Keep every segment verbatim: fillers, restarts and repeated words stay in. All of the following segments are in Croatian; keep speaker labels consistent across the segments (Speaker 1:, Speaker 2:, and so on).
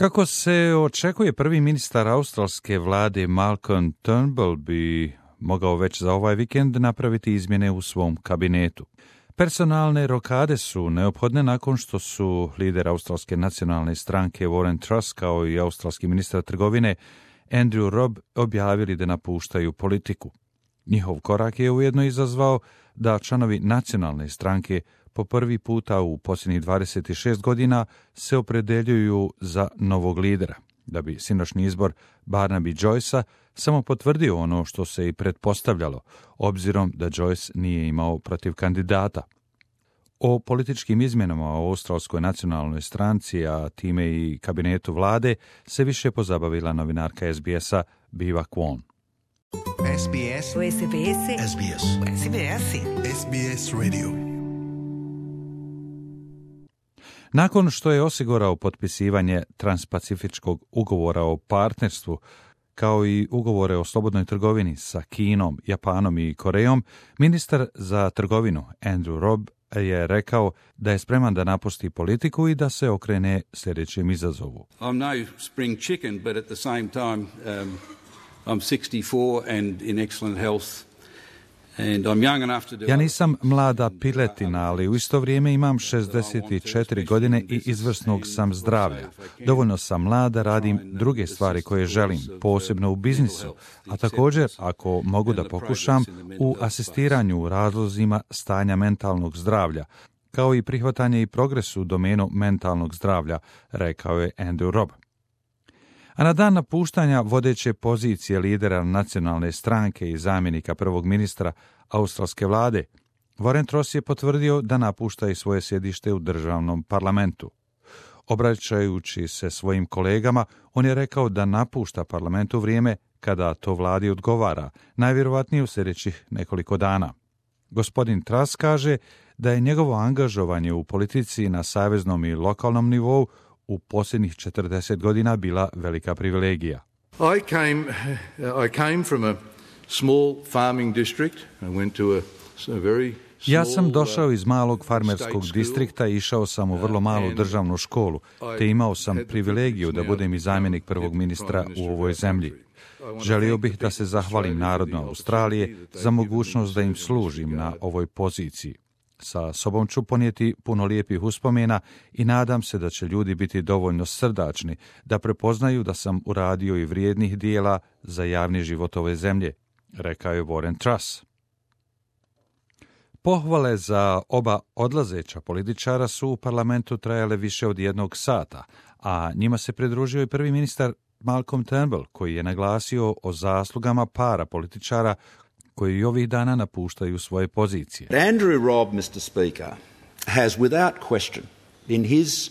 Speaker 1: Kako se očekuje, prvi ministar australske vlade Malcolm Turnbull bi mogao već za ovaj vikend napraviti izmjene u svom kabinetu. Personalne rokade su neophodne nakon što su lider australske nacionalne stranke Warren Truss kao i australski ministar trgovine Andrew Robb objavili da napuštaju politiku. Njihov korak je ujedno izazvao da članovi nacionalne stranke po prvi puta u posljednjih dvadeset šest godina se opredeljuju za novog lidera, da bi sinoćni izbor Barnaby Joycea samo potvrdio ono što se i pretpostavljalo, obzirom da Joyce nije imao protiv kandidata. O političkim izmjenama u australskoj nacionalnoj stranci, a time i kabinetu vlade, se više pozabavila novinarka es bi esa Biva Kwon.
Speaker 2: es bi es.
Speaker 3: S B S.
Speaker 2: es bi es.
Speaker 3: S B S.
Speaker 2: es bi es Radio.
Speaker 1: Nakon što je osigurao potpisivanje transpacifičkog ugovora o partnerstvu, kao i ugovore o slobodnoj trgovini sa Kinom, Japanom i Korejom, ministar za trgovinu Andrew Robb je rekao da je spreman da napusti politiku i da se okrene sljedećem izazovu.
Speaker 4: I'm no spring chicken, but at the same time um, I'm sixty-four and in excellent health. And I'm young enough to do
Speaker 1: Ja nisam mlada piletina, ali u isto vrijeme imam šezdeset četiri godine i izvrsnog sam zdravlja. Dovoljno sam mlad da radim druge stvari koje želim, posebno u biznisu, a također, ako mogu da pokušam, u asistiranju u razlozima stanja mentalnog zdravlja, kao i prihvatanje i progres u domenu mentalnog zdravlja, rekao je Andrew Robb. A na dan napuštanja vodeće pozicije lidera nacionalne stranke i zamjenika prvog ministra australske vlade, Warren Truss je potvrdio da napušta i svoje sjedište u državnom parlamentu. Obraćajući se svojim kolegama, on je rekao da napušta parlament u vrijeme kada to vladi odgovara, najvjerovatnije u sljedećih nekoliko dana. Gospodin Truss kaže da je njegovo angažovanje u politici na saveznom i lokalnom nivou u posljednjih četrdeset godina bila velika privilegija.
Speaker 5: I came, I came from a small farming district. I went to a, a very small,
Speaker 1: Ja sam došao iz malog farmerskog distrikta i išao sam u vrlo malu državnu školu, te imao sam privilegiju da budem i zamjenik prvog ministra u ovoj zemlji. Želio bih da se zahvalim narodu Australije za mogućnost da im služim na ovoj poziciji. Sa sobom ću ponijeti puno lijepih uspomena i nadam se da će ljudi biti dovoljno srdačni da prepoznaju da sam uradio i vrijednih dijela za javni život ove zemlje, rekao je Warren Truss. Pohvale za oba odlazeća političara su u parlamentu trajale više od jednog sata, a njima se pridružio i prvi ministar Malcolm Turnbull, koji je naglasio o zaslugama para političara koji ovih dana napuštaju svoje pozicije.
Speaker 6: Andrew Robb, mister Speaker, has without question, in his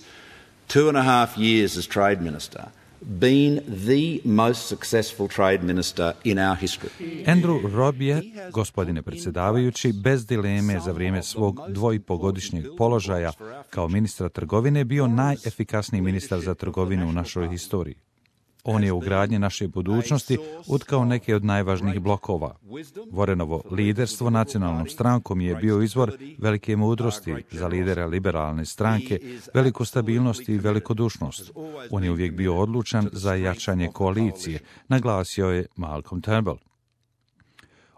Speaker 6: two and a half years as trade minister, been the most successful trade minister in our history.
Speaker 1: Andrew Robb je, gospodine predsjedavajući, bez dileme za vrijeme svog dvoipogodišnjeg položaja kao ministra trgovine bio najefikasniji ministar za trgovinu u našoj historiji. On je u gradnji naše budućnosti utkao neke od najvažnijih blokova. Warrenovo liderstvo nacionalnom strankom je bio izvor velike mudrosti za lidera liberalne stranke, veliku stabilnost i velikodušnost. On je uvijek bio odlučan za jačanje koalicije, naglasio je Malcolm Turnbull.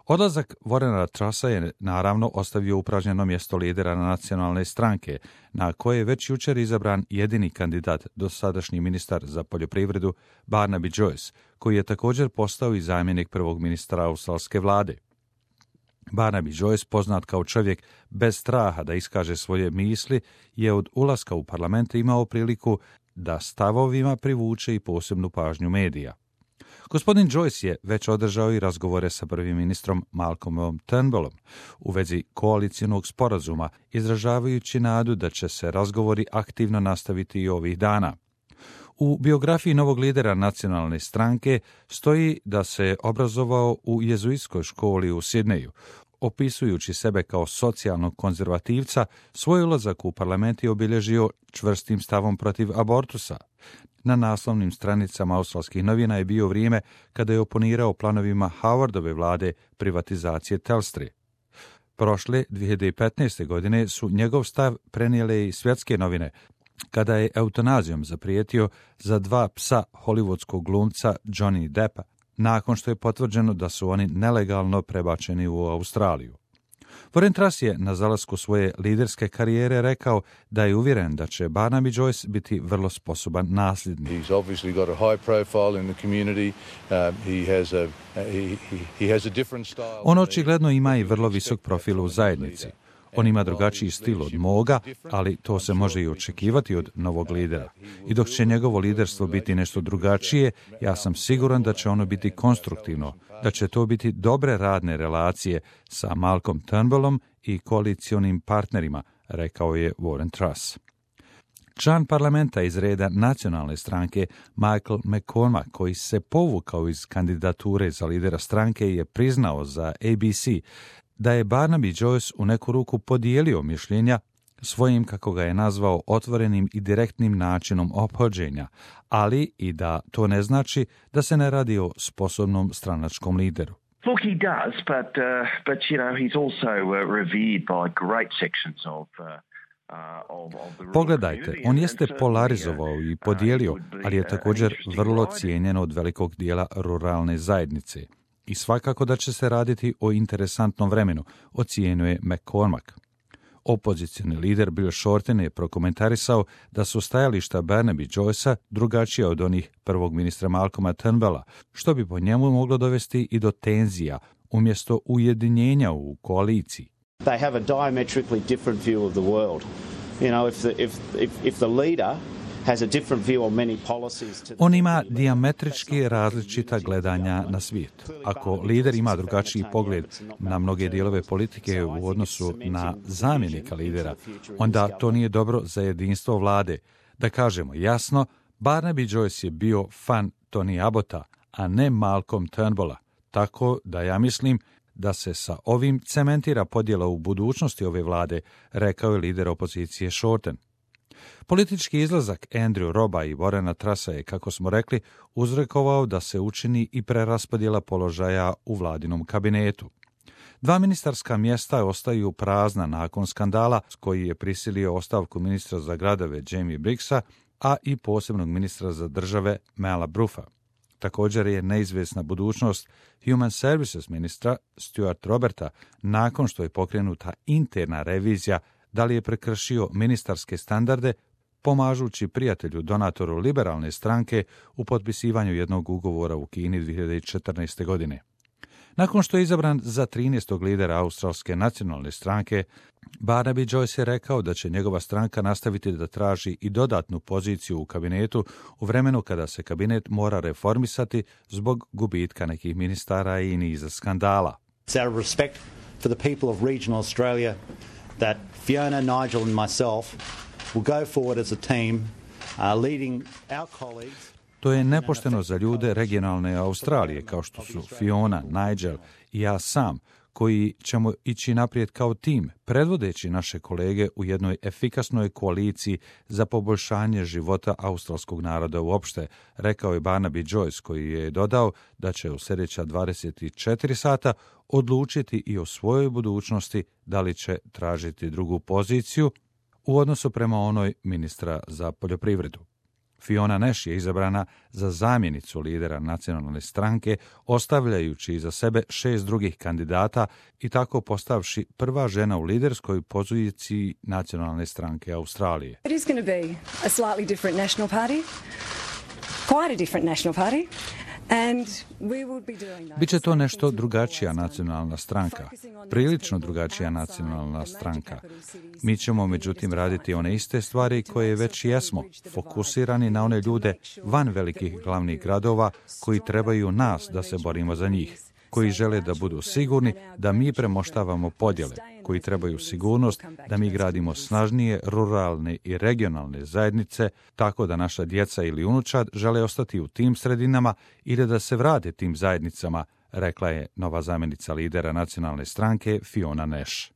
Speaker 1: Odlazak Warrena Trussa je naravno ostavio upražnjeno mjesto lidera nacionalne stranke, na koje je već jučer izabran jedini kandidat, dosadašnji ministar za poljoprivredu Barnaby Joyce, koji je također postao i zamjenik prvog ministra australske vlade. Barnaby Joyce, poznat kao čovjek bez straha da iskaže svoje misli, je od ulaska u parlament imao priliku da stavovima privuče i posebnu pažnju medija. Gospodin Joyce je već održao i razgovore sa prvim ministrom Malcolmom Turnbullom u vezi koalicijnog sporazuma, izražavajući nadu da će se razgovori aktivno nastaviti i ovih dana. U biografiji novog lidera nacionalne stranke stoji da se obrazovao u jezuitskoj školi u Sidneju. Opisujući sebe kao socijalnog konzervativca, svoj ulazak u parlament je obilježio čvrstim stavom protiv abortusa. Na naslovnim stranicama australskih novina je bio vrijeme kada je oponirao planovima Howardove vlade privatizacije Telstre. Prošle dvije hiljade petnaeste. godine su njegov stav prenijele i svjetske novine, kada je eutanazijom zaprijetio za dva psa hollywoodskog glumca Johnny Deppa, nakon što je potvrđeno da su oni nelegalno prebačeni u Australiju. Warren Truss je na zalasku svoje liderske karijere rekao da je uvjeren da će Barnaby Joyce biti vrlo sposoban nasljednik.
Speaker 5: He's obviously got a high profile in the community. Um, he has a he, he has a different style.
Speaker 1: On očigledno ima i vrlo visok profil u zajednici. On ima drugačiji stil od moga, ali to se može i očekivati od novog lidera. I dok će njegovo liderstvo biti nešto drugačije, ja sam siguran da će ono biti konstruktivno, da će to biti dobre radne relacije sa Malcolm Turnbullom i koalicionim partnerima, rekao je Warren Truss. Član parlamenta iz reda nacionalne stranke Michael McCormack, koji se povukao iz kandidature za lidera stranke, je priznao za A B C da je Barnaby Joyce u neku ruku podijelio mišljenja svojim, kako ga je nazvao, otvorenim i direktnim načinom ophođenja, ali i da to ne znači da se ne radi o sposobnom stranačkom lideru.
Speaker 3: Look, he does, but, uh, but you know, he's also uh, revered by great sections of... Uh,
Speaker 1: Pogledajte, on jeste polarizovao i podijelio, ali je također vrlo cijenjen od velikog dijela ruralne zajednice. I svakako da će se raditi o interesantnom vremenu, ocijenjuje McCormack. Opozicioni lider Bill Shorten je prokomentarisao da su stajališta Barnaby Joycea drugačija od onih prvog ministra Malcolma Turnbulla, što bi po njemu moglo dovesti i do tenzija, umjesto ujedinjenja u koaliciji.
Speaker 7: They have a diametrically different view of the world. You know, if the, if, if, if the leader has a different view on many policies to...
Speaker 1: On ima dijametrički različita gledanja na svijet. Ako lider ima drugačiji pogled na mnoge dijelove politike u odnosu na zamjenika lidera, onda to nije dobro za jedinstvo vlade. Da kažemo jasno, Barnaby Joyce je bio fan Tony Abbotta, a ne Malcolm Turnbulla. Tako da ja mislim da se sa ovim cementira podjela u budućnosti ove vlade, rekao je lider opozicije Shorten. Politički izlazak Andrew Robba i Warrena Trussa je, kako smo rekli, uzrokovao da se učini i preraspodjela položaja u vladinom kabinetu. Dva ministarska mjesta ostaju prazna nakon skandala koji je prisilio ostavku ministra za gradove Jamie Briggsa, a i posebnog ministra za države Mala Bruffa. Također je neizvjesna budućnost Human Services ministra Stuart Roberta nakon što je pokrenuta interna revizija da li je prekršio ministarske standarde pomažući prijatelju donatoru liberalne stranke u potpisivanju jednog ugovora u Kini dvije hiljade četrnaeste. godine. Nakon što je izabran za trinaestog lidera Australske nacionalne stranke, Barnaby Joyce je rekao da će njegova stranka nastaviti da traži i dodatnu poziciju u kabinetu u vremenu kada se kabinet mora reformisati zbog gubitka nekih ministara i niza skandala.
Speaker 8: It's out of respect for the people of regional Australia that Fiona, Nigel and myself will go forward as a team uh, leading our colleagues.
Speaker 1: To je nepošteno za ljude regionalne Australije, kao što su Fiona, Nigel i ja sam, koji ćemo ići naprijed kao tim, predvodeći naše kolege u jednoj efikasnoj koaliciji za poboljšanje života australskog naroda uopšte, rekao je Barnaby Joyce, koji je dodao da će u sljedeća dvadeset četiri sata odlučiti i o svojoj budućnosti da li će tražiti drugu poziciju u odnosu prema onoj ministra za poljoprivredu. Fiona Nash je izabrana za zamjenicu lidera nacionalne stranke, ostavljajući iza sebe šest drugih kandidata i tako postavši prva žena u liderskoj poziciji nacionalne stranke Australije.
Speaker 9: It is going to be a slightly different national party, quite a different national party.
Speaker 1: Biće to nešto drugačija nacionalna stranka, prilično drugačija nacionalna stranka. Mi ćemo međutim raditi one iste stvari koje već jesmo, fokusirani na one ljude van velikih glavnih gradova koji trebaju nas da se borimo za njih, koji žele da budu sigurni da mi premoštavamo podjele, koji trebaju sigurnost da mi gradimo snažnije ruralne i regionalne zajednice, tako da naša djeca ili unučad žele ostati u tim sredinama ili da se vrate tim zajednicama, rekla je nova zamjenica lidera nacionalne stranke Fiona Nash.